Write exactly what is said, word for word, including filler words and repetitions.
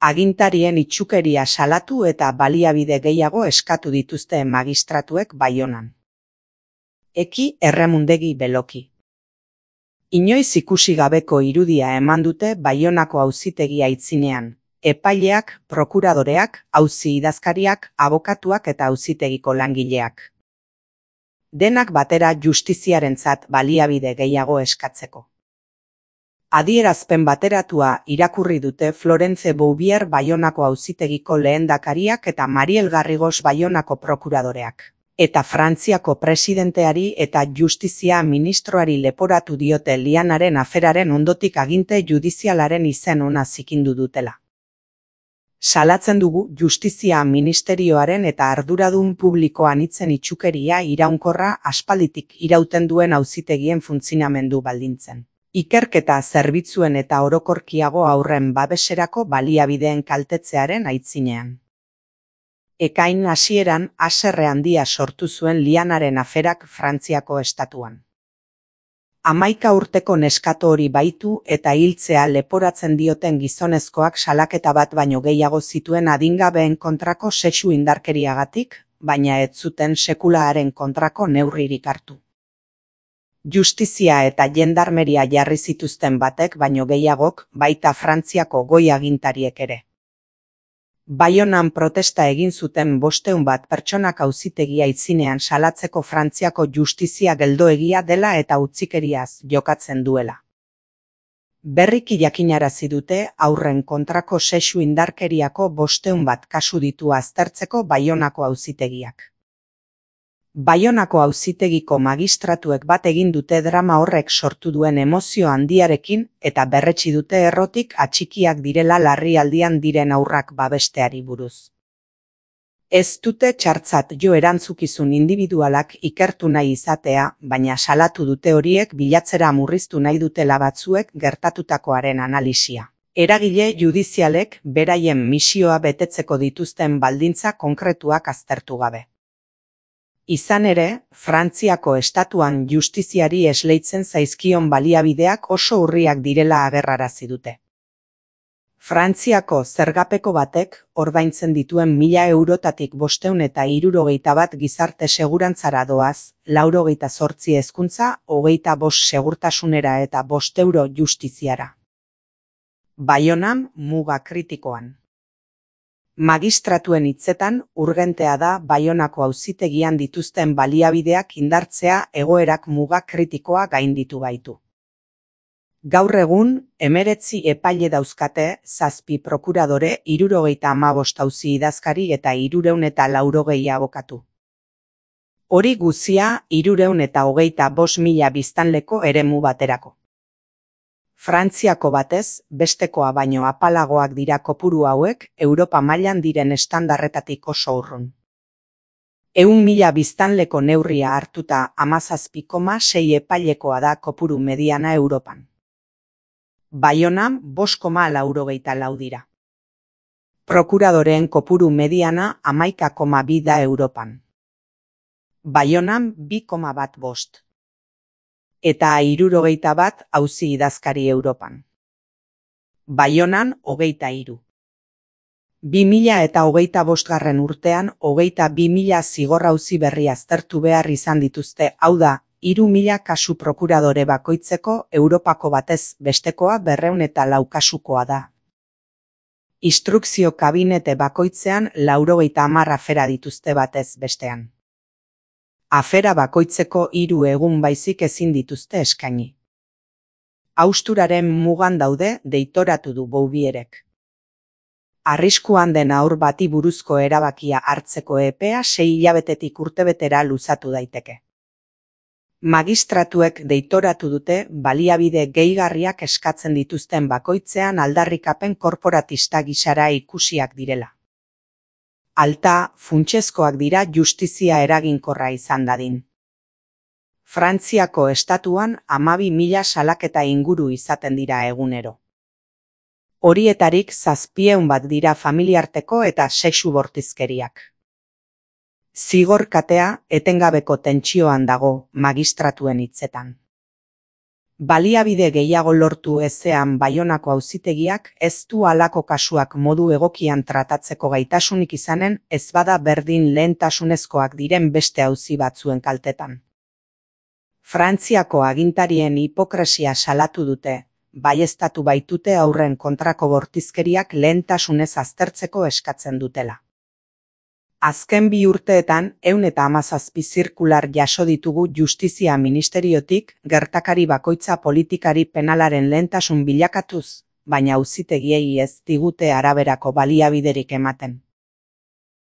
Agintarien itsukeria salatu eta baliabide gehiago eskatu dituzte magistratuek Baionan. Eki Erremundegi Beloki. Inoiz ikusi gabeko irudia eman dute Baionako auzitegi aitzinean, epaileak, prokuradoreak, auzi idazkariak, abokatuak eta auzitegiko langileak. Denak batera justiziarentzat baliabide gehiago eskatzeko. Adierazpen bateratua irakurri dute Florence Bouvier Baionako auzitegiko lehendakariak eta Mariel Garrigos Baionako prokuradoreak. Eta Frantziako presidenteari eta justizia ministroari leporatu diote Lianaren aferaren ondotik aginte judizialaren izen ona zikindu dutela. Salatzen dugu justizia ministerioaren eta arduradun publikoan itzen itsukeria iraunkorra aspalditik irauten duen auzitegien funtzionamendu baldintzen. Ikerketa zerbitzuen eta orokorkiago aurren babeserako baliabideen kaltetzearen aitzinean. Ekain hasieran haserre handia sortu zuen Lianaren aferak Frantziako estatuan. Hamaika urteko neskato hori baitu eta hiltzea leporatzen dioten gizonezkoak salaketa bat baino gehiago zituen adingabeen kontrako sexu indarkeriagatik, baina ez zuten sekulaaren kontrako neurririk hartu. Justizia eta jendarmeria jarri zituzten batek baino gehiagok, baita Frantziako goi agintariek ere. Baionan protesta egin zuten bostehun bat pertsonak auzitegi aitzinean salatzeko Frantziako justizia geldoegia dela eta utzikeriaz jokatzen duela. Berriki jakinarazi dute haurren kontrako sexu indarkeriako bostehun bat kasu ditu aztertzeko Baionako auzitegiak. Baionako auzitegiko magistratuek bat egin dute drama horrek sortu duen emozio handiarekin eta berretsi dute errotik atxikiak direla larrialdian diren haurrak babesteari buruz. Ez dute txartzat jo erantzukizun individualak ikertu nahi izatea, baina salatu dute horiek bilatzera murriztu nahi dutela batzuek gertatutakoaren analisia. Eragile judizialek beraien misioa betetzeko dituzten baldintza konkretuak aztertu gabe. Izan ere, Frantziako estatuan justiziari esleitzen zaizkion baliabideak oso urriak direla agerrarazi dute. Frantziako zergapeko batek ordaintzen dituen mila eurotatik bostehun eta hirurogeita bat gizarte segurantzara doaz, laurogeita zortzi hezkuntza, hogeita bost segurtasunera eta bost euro justiziara. Baionan muga kritikoan. Magistratuen hitzetan, urgentea da Baionako auzitegian dituzten baliabideak indartzea egoerak muga kritikoa gainditu baitu. Gaur egun, hemeretzi epaile dauzkate, zazpi prokuradore, hirurogeita hamabost auzi idazkari eta hirurehun eta laurogei abokatu. Hori guzia, hirurehun eta hogeita bost mila biztanleko eremu baterako. Frantziako batez, bestekoa baino apalagoak dira kopuru hauek, Europa mailan diren estandarretatik oso urrun. Ehun mila biztanleko neurria hartuta hamazazpi koma sei epailekoa da kopuru mediana Europan. Baionan bost koma laurogeita lau dira. Prokuradoreen kopuru mediana hamaika koma bi da Europan. Baionan bi koma bat bost. Eta hirurogeita bat auzi idazkari Europan. Baionan hogeita hiru. Bi mila eta hogeita bostgarren urtean hogeita bi mila zigor auzi berri aztertu behar izan dituzte, hau da, hiru mila kasu prokuradore bakoitzeko Europako batez bestekoa berrehun eta lau kasukoa da. Instrukzio kabinete bakoitzean laurogeita hamar afera dituzte batez bestean. Afera bakoitzeko hiru egun baizik ezin dituzte eskaini. Hausturaren mugan daude, deitoratu du Bouvierek. Arriskuan den haur bati buruzko erabakia hartzeko epea sei hilabetetik urtebetera luzatu daiteke. Magistratuek deitoratu dute baliabide gehigarriak eskatzen dituzten bakoitzean aldarrikapen korporatista gisara ikusiak direla. Alta, funtsezkoak dira justizia eraginkorra izan dadin. Frantziako estatuan hamabi mila salaketa inguru izaten dira egunero. Horietarik zazpieun bat dira familiarteko eta sexu bortizkeriak. Zigor katea etengabeko tentsioan dago magistratuen hitzetan. Baliabide gehiago lortu ezean Baionako auzitegiak ez du halako kasuak modu egokian tratatzeko gaitasunik izanen ez bada berdin lehentasunezkoak diren beste auzi batzuen kaltetan. Frantziako agintarien hipokresia salatu dute, baieztatu baitute haurren kontrako bortizkeriak lehentasunez aztertzeko eskatzen dutela. Azken bi urteetan ehun eta hamazazpi zirkular jaso ditugu Justizia Ministeriotik gertakari bakoitza politikari penalaren lehentasun bilakatuz, baina auzitegiei ez digute araberako baliabiderik ematen.